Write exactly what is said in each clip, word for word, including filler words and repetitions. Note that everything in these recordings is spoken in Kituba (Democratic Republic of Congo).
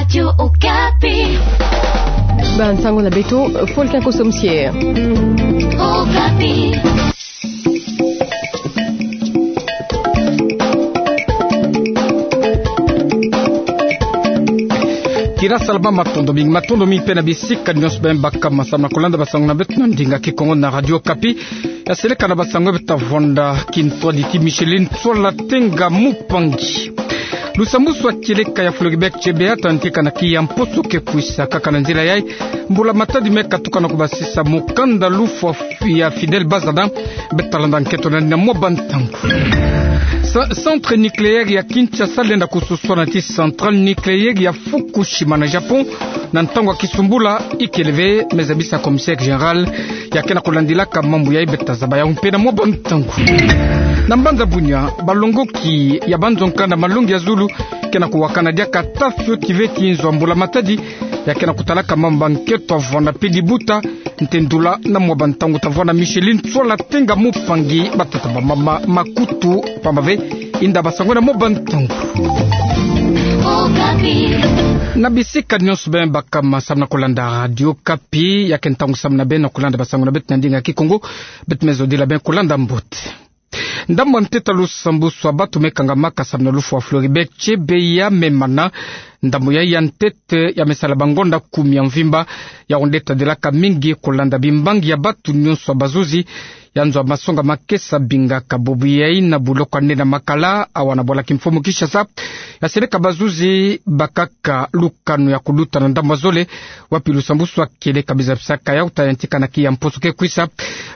Radio Okapi. Bansango na beto, Folkin Kosomsier. Okapi. Kira salama, matondo mingi, matondo mingi mpe na bisika nyonso beno baka masamu na kolanda bansango na beto na ndinga Kikongo na Radio Okapi. Ya seleka na bansango beto ta vonda kintwadi ti Micheline Tsoala Tenga Mupangi. Lusambwasu a kieleka ya Floribert Chebeya ta yantika na kiya mposo ke kwisa. Kaka na nzila yayi, mbula matadi me katuka na kubasisa mukanda lufwa ya Fidèle Bazana. Beto ta landa nkento na mwa bantangu. Sa-, centre nucléaire ya Kinshasa lenda kususwana ti centrale nucléaire ya Fukushima na Japon na ntangu ya kisumbula ikele ve, me zabisa commissaire général ya ke na kulandilaka mambu yayi. Beto ta zaba yawu mpe na mwa bantangu. Na mbanza Bunia, balongoki ya banzo nkanda malongi ya zulu ke na kuwakana diaka ta fioti ve ti nzo ya mbula matadi. Ya ke na kutalaka mambu ya nkento, ta vwanda mpe libuta. Ntendula na mwa bantangu, ta vwanda Micheline Tsoala Tenga Mupangi, batata, bamama, makutu pamba ve. Inda bansango na mwa bantangu. Na bisika nyonso beno baka masamu na kolanda Radio Okapi, ya ke ntangu samu na beno kolanda bansango na beto na ndinga Kikongo. Beto me zodila beno kolanda mbote. Ndambu ya ntete ya lusambwasu a bantu me kangamaka samu na lufwa Floribert Chebeya me mana. Ndambu yayi ya ntete ya me sala bangonda kumi ya mvimba. Yawu nde tadilaka mingi kolanda bimbangi ya bantu nyonso ya bazuzi ya nzo ya masonga makesa bingaka. Bubu yayi na buloko ya nene ya makala awa na bwala kimfumu Kinshasa, ya seleka bazuzi bakaka lukanu ya kuluta na ndambu ya zole, wapi lusambwasu a kieleka me zabisaka yawu ta yantika na kiya mposo ke kwisa.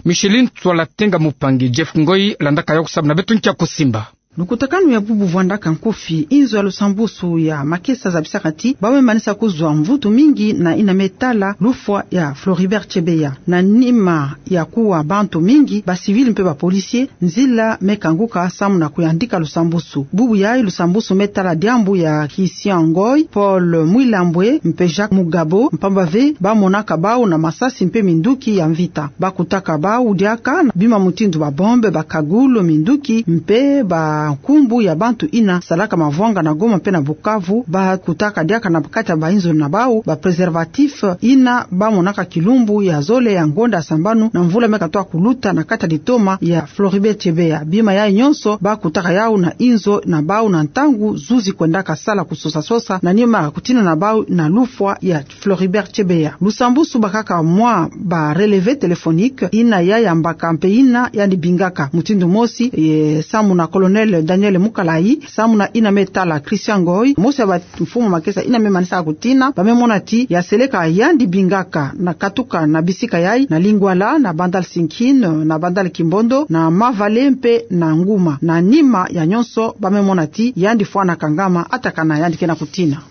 Micheline Tsoala Tenga Mupangi, Jeff Ngoy landaka yawu samu na beto nkia kusimba. Lukutakanu ya bubu vwandaka nkufi, inzo ya lusambwasu ya makesa zabisaka ti ba me manisa kuzwa mvutu mingi na yina me tala lufwa ya Floribert Chebeya. Na nima ya kuwa bantu mingi, ba civil mpe ba policier, nzila me kanguka samu na kuyandika lusambwasu. Bubu yayi lusambwasu me tala diambu ya Christian Ngoy, Paul Mwilambwe mpe Jacques Mugabo, mpamba ve ba monaka bawu na masasi mpe minduki ya mvita. Ba kutaka bawu diaka na bima mutindu ba bombe, ba kagulu, minduki mpe bankumbu ya bantu yina salaka mavwanga na Goma mpe na Bukavu. Ba kutaka diaka na kati ya ba inzo na bawu ba préservatif yina ba monaka kilumbu ya zole ya ngonda ya sambanu na mvula me katoka kuluta na kati ya litoma ya Floribert Chebeya. Bima yayi nyonso ba kutaka yawu na inzo na bawu na ntangu zuzi kwendaka sala kusosa-sosa na nima ya kutina na bawu na lufwa ya Floribert Chebeya. Lusambwasu bakaka mwa ba relevé téléphonique, yina ya yambaka mpe yina yandi bingaka. Mutindu mosi, e, samu na Colonel Daniel Mukalayi, samu na yina me tala Christian Ngoy, mosi ya ba mfumu makesa yina me manisa kutina, ba me mona ti ya seleka yandi bingaka na katuka na bisika yayi, na Lingwala, na Bandal Sinkin, na Bandal Kimbondo, na Mavale mpe na Nguma. Na nima ya nyonso, ba me mona ti yandi fwana kangama, atakana yandi ke na kutina.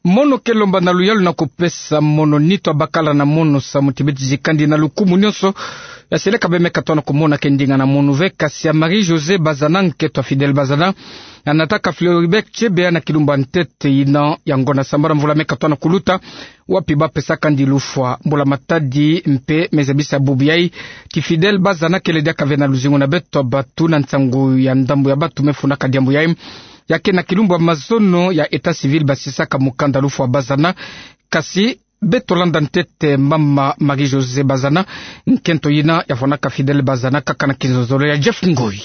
Mono ke lomba na luyalu na kupesa mono nitu ya bakala na mono samu ti beti zikandi na lukumu nyonso. Ya seleka be me katoka na kumona ke ndinga na mono ve, kasi ya Marie-Josée Bazana, nkento ya Fidèle Bazana, anataka Floribert Chebeya na kilumbu ya ntete yina ya ngonda sambanu mvula me katoka na kuluta, wapi ba pesakandi lufwa. Mbula matadi mpe me zabisa bubu yayi ti Fidèle Bazana kele diaka ve na luzingu na beto batu na nsangu ya ndambu ya batu me fundaka diambu yayi. Ya ke na kilumbu ya mazono ya état civil basisaka mukanda lufwa Bazana. Kasi beto landa ntete mama Marie-Josée Bazana, nkento yina ya fwanaka Fidèle Bazana, kaka na kinzonzolo ya Jeff Ngoy.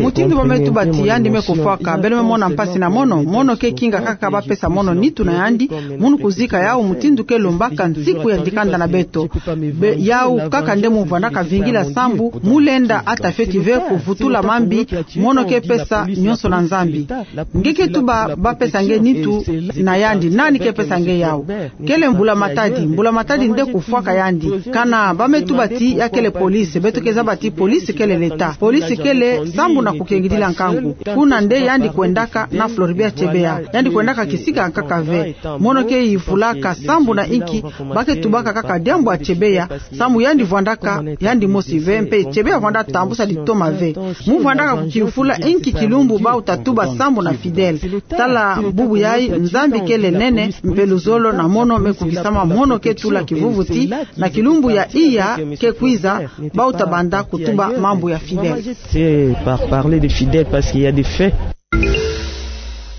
Mutindu ba me tuba ti yandi me kufwaka, beno me mona mpasi na mono. Mono ke kinga kaka ba pesa mono nitu na yandi, munu kuzika yawu mutindu ke lombaka nsiku ya dikanda na beto. Be, yawu kaka nde mu vandaka vingila sambu, mu lenda ata fioti ve kuvutula mambi, mono ke pesa nyonso na Nzambi. Nge ke tuba ba pesa nge nitu na yandi, nani ke pesa nge yawu? Kele mbula matadi, mbula matadi nde kufwaka yandi. Kana ba me tuba ti ya kele police, beto ke zaba ti police kele l'État. Police kele sambu na kukengidila nkangu. Kuna nde yandi kwendaka na Floribert Chebeya. Yandi kwendaka kisika nkaka ve. Mono ke yifulaka sambu na inki ba ke tubaka kaka diambu ya Chebeya, sambu yandi vwandaka yandi mosi ve, mpe Chebeya vwanda tambusa litoma ve. Mu vwandaka kukiyufula inki kilumbu bawu ta tuba sambu na Fidèle. Tala bubu yayi, Nzambi kele nene, mpe luzolo na mono me kukisama, mono ke tula kivuvuti, na kilumbu ya iya ke kwiza, bawu ta banda kutuba mambu ya Fidèle. C'est par parler de Fidèle parce qu'il y a des faits.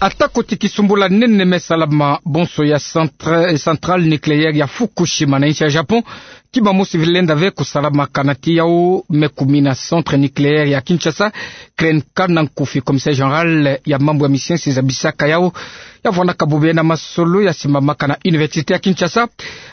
Atako ti kisumbula nene me salama bonso ya centra-, centrale nucléaire ya Fukushima na insi ya Japon, kima mosi vilenda ve kusalama kana ti yau me kumina centre nucléaire ya Kinshasa, Grenka, na nkufi commissaire général ya mambu ya misiensi zabisaka yau, ya vwandaka bubu ye na masolo ya simbamaka na université ya Kinshasa,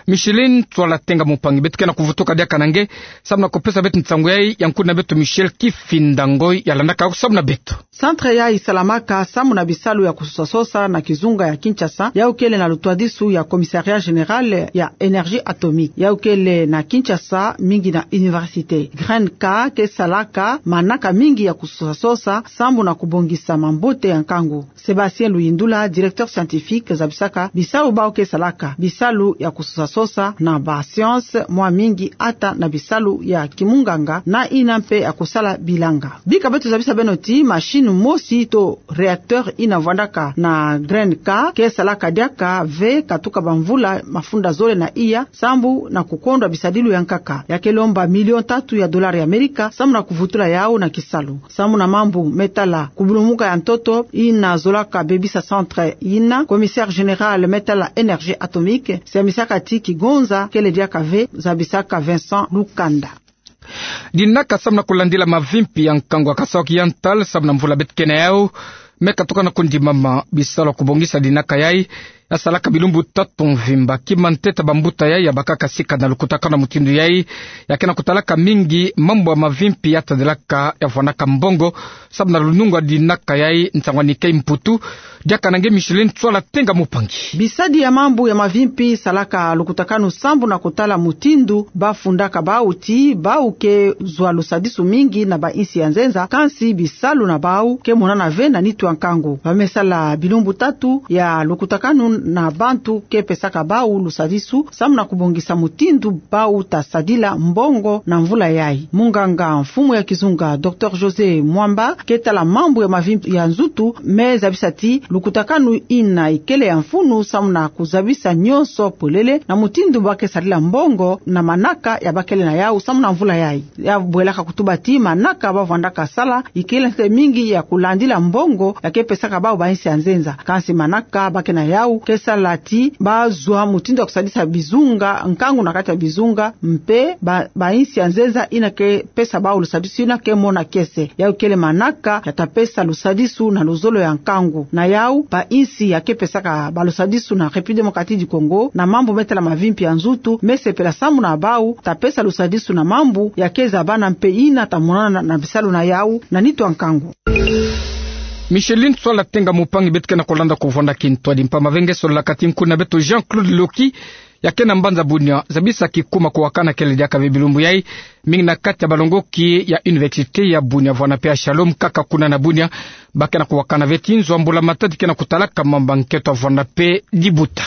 Micheline Tswala Tenga Mupangi. Beto ke na kuvutuka diaka na nge, samu na kupesa beto nsangu yai, ya nkuna beto Michel Kifinda Ngoi ya landaka yau samu na beto. Centre yai isalamaka samu na bisalu ya kusosa sosa na kizunga ya Kinshasa, yau kele na lutwadisu ya Commissariat Général ya Énergie Atomique, yau kele na Kinshasa, mingi na université. Grenka ke salaka manaka mingi ya kusosa sosa samu na kubongisa mambote ya nkangu. Sébastien Luyindula, directeur scientifique, zabisaka bisalu bau ke salaka bisalu ya kusosa sosa na ba science mwa mingi, ata na bisalu ya kimunganga na ina mpe ya kusala bilanga. Bika beto zabisa beno ti machine mosi to réacteur ina vwandaka na Grenka ke salaka diaka ve katuka bamvula mafunda zole na iya, samu na kukondwa bisadilu ya nkaka. Ya ke lomba million tatu ya dollar ya Amerika samu na kuvutula yau na kisalu. Samu na mambu me tala kubulumuka ya ntoto ina zolaka bebisa centre ina, commissaire général me tala énergie atomique siamisaka ti kigonza kele diaka ve, zabisaka Vincent Lukanda. Dinaka samu na kulandila mavimpi ya nkangu ya Kasaï Oriental samu na mvula beto ke na yau, me katuka na kundimama bisalu ya kubongisa dinaka yai, ya salaka bilumbu tatu mvimba. Kima ntete bambuta yai ya bakaka sika na lukutakanu ya mutindu yai, ya ke na kutalaka mingi mambu ya mavimpi ya tadilaka ya vwandaka mbongo samu na lunungu ya dinaka yai. Nsangu ya Nikai Mputu, diaka na nge Micheline Tswala Tenga Mupangi. Bisadi ya mambu ya mavimpi salaka lukutakanu samu na kutala mutindu ba fundaka bau ti bau ke zwa lusadisu mingi na ba insi ya nzenza, kansi bisalu na bau ke monana ve na nitu ya nkangu. Ba me sala bilumbu tatu ya lukutakanu na bantu ke pesaka bau lusadisu samu na kubongisa mutindu bau ta sadila mbongo na mvula yai. Munganga mfumu ya kizunga, docteur José Mwamba, ke tala mambu ya mavimpi ya nzutu, me zabisa ti lukutakanu ina ikele ya mfunu samu na kuzabisa nyonso polele na mutindu ba ke sadila mbongo na manaka ya ba kele na yau samu na mvula yai. Ya bwelaka kutuba ti manaka ba vwandaka sala ikele ntete mingi ya kulandila mbongo ya ke pesaka bau ba insi ya nzenza. Kansi manaka ba ke na yau ke sala ti ba zwa mutindu ya kusadisa bizunga, nkangu na kati ya bizunga, mpe ba, ba insi ya nzenza ina ke pesa bau lusadisu ina ke mona kiese. Yau kele manaka ya ta pesa lusadisu na luzolo ya nkangu. Na yau, ba insi ya ke pesaka bau lusadisu na République Démocratique du Congo, na mambu me tala mavimpi ya nzutu, me sepela samu na bau ta pesa lusadisu na mambu ya ke zabana mpe ina ta monana na, na bisalu na yau na nitu ya nkangu. Micheline Tswala Tenga Mupangi. Beto ke na kulanda kuvwanda kintwadi mpamba ve nge, sololaka ti nkuna beto Jean-Claude Loki, ya ke na mbanza Bunia, zabisa kikuma kuwakana kele diaka ve bilumbu yai, mingi na kati ya balongoki ya université ya Bunia vwanda mpe ya Shalom, kaka kuna na Bunia, ba ke na kuwakana ve ti nzo ya mbula matadi ke na kutalaka mambu ya nkento ya vwanda mpe dibuta.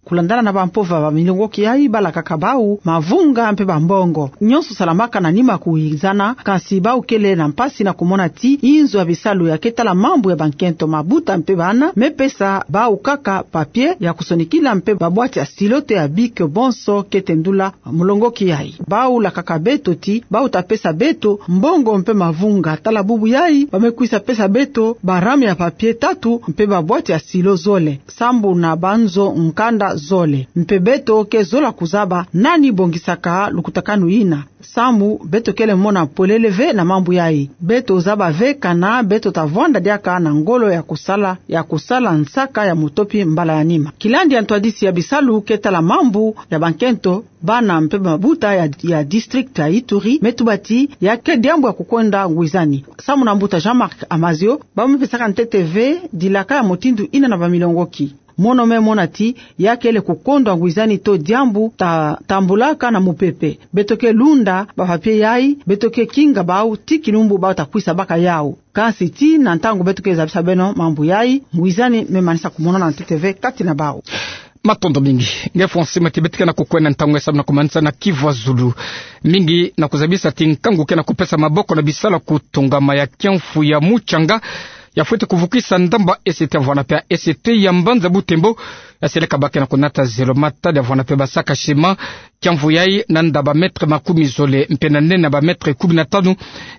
Kulandana na bampova ba milongoki yai, balakaka bau mavunga mpe bambongo. Nyonso salamaka na nima kuwizana, kansi bau kele na mpasi na kumona ti inzo ya bisalu ya ke tala mambu ya bankento, mabuta mpe bana, me pesa bau kaka papier ya kusonikila mpe babwati ya stylo to ya bic, bonso ke tendula mulongoki yai. Bau lakaka beto ti bau ta pesa beto mbongo mpe mavunga. Tala bubu yai, ba me kwisa pesa beto barame ya papier tatu mpe babwati ya stylo zole, sambu na banzo nkanda zole. Mpe beto ke zola kuzaba nani bongisaka lukutakanu ina, sambu beto kele mona polele ve na mambu yai. Beto zaba ve kana beto ta vwanda diaka na ngolo ya kusala, ya kusala nsaka ya mutopi mbala ya nima. Kilandi ya ntwadisi ya bisalu ke tala mambu ya bankento, bana mpe mabuta ya, ya district ya Ituri me tuba ti ya ke diambu ya kukonda ngwizani. Samu na mbuta Jean-Marc Amazio, ba me pesaka ntete ve dilaka ya mutindu ina na bamilongoki. Mono me mona ti ya kele kukondwa ngwizani to diambu ta tambulaka na mupepe. Beto ke lunda bapapier yai, beto ke kinga bau ti kilumbu bau ta kwisa baka yau. Kansi tii na ntangu beto ke zabisa beno mambu yai, ngwizani me manisa kumonana ntete ve kati na bau. Matondo mingi. Nge fwa nsima ti beto ke na kukwenda ntangu nge samu na kumanisa na Kivu Azulu. Mingi na kuzabisa ti nkangu ke na kupesa maboko na bisalu ya kutongama ya kiamfu ya mucanga, ya fweti kuvukisa ndamba S T ya vwanda mpe ya S T ya mbanza Butembo, Yaseleka bake na kunata zelo mata, ya vwanda pe basaka ciment, kiamvu yayi, na nda ba mètre makumi zole mpe na nene ba mètre kumi na tanu,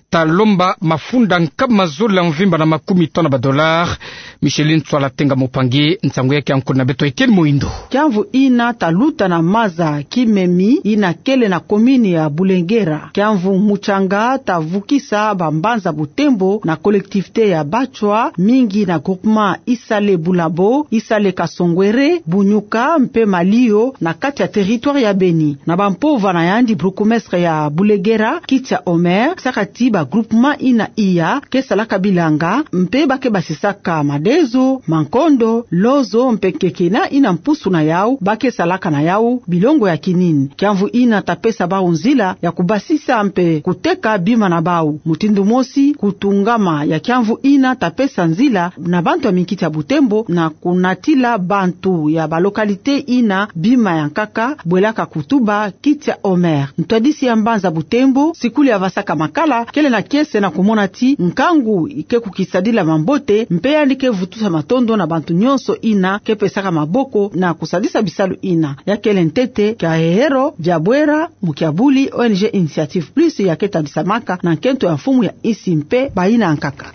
ta lomba mafunda nkama zole ya mvimba na makumi tanu ba dollars. Micheline Tswala Tenga Mupangi, nsangu yake ya nkuna beto Etienne Muhindo. Kiamvu ina ta luta na maza Kimemi, ina kele na commune ya Boulengera. Kiamvu Mutsanga ta vukisa bambanza Butembo na collectivité ya Batswa, mingi na groupement Isale Bulabo, Isale Kasongwere, Bunyuka mpe Malio na kati ya territoire ya Beni. Na bampova na yandi, bourgmestre ya Boulengera, Kitia Omer, saka ti ba groupement ina iya ke salaka bilanga, mpe ba ke basisaka madezo, mankondo, lozo, mpe nkeke na ina mpusu na yau, ba ke salaka na yau bilongo ya kinini. Kiamvu ina ta pesa bau nzila ya kubasisa mpe kuteka bima na bau. Mutindu mosi, kutungama ya kiamvu ina ta pesa nzila na bantu ya minkiti ya Butembo na kunatila bantu ya ba localité ina bima ya nkaka, bwelaka kutuba Kitia Omer. Ntwadisi ya mbanza Butembo, Sikuli Avasaka Makala, kele na kiese na kumona ti nkangu ke kukisadila mambote, mpe yandi ke vutusa matondo na bantu nyonso ina ke pesaka maboko na kusadisa bisalu ina. Ya kele ntete kia hehero, Diabwera Mukiabuli, O N G Initiative Plus ya ke tadisamaka na nkento ya mfumu ya isi mpe baina ya nkaka.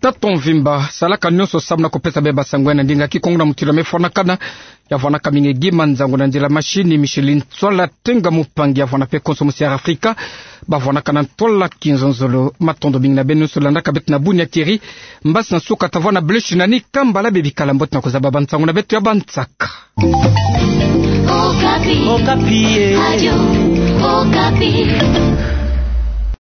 Tato mvimba, salaka nyonso samu na kupesa bie basangu ya na ndinga Kikongo na mutilu ya mefwanakana. Ya vwanaka mingi gi manzangu na nzila machine, Micheline Tswala Tenga Mupangi, ya vwana pe konso musiara Afrika. Ba vwanaka na ntwala kinzonzolo. Matondo mingi na beno nyonso landaka beto na buni ya Thierry. Mbasi na suka ta vwana Bleu Shinani, kambala bie bikala mbote na kuzaba bansangu na beto ya bansaka. Okapi. Okapi, eh. Radio Okapi.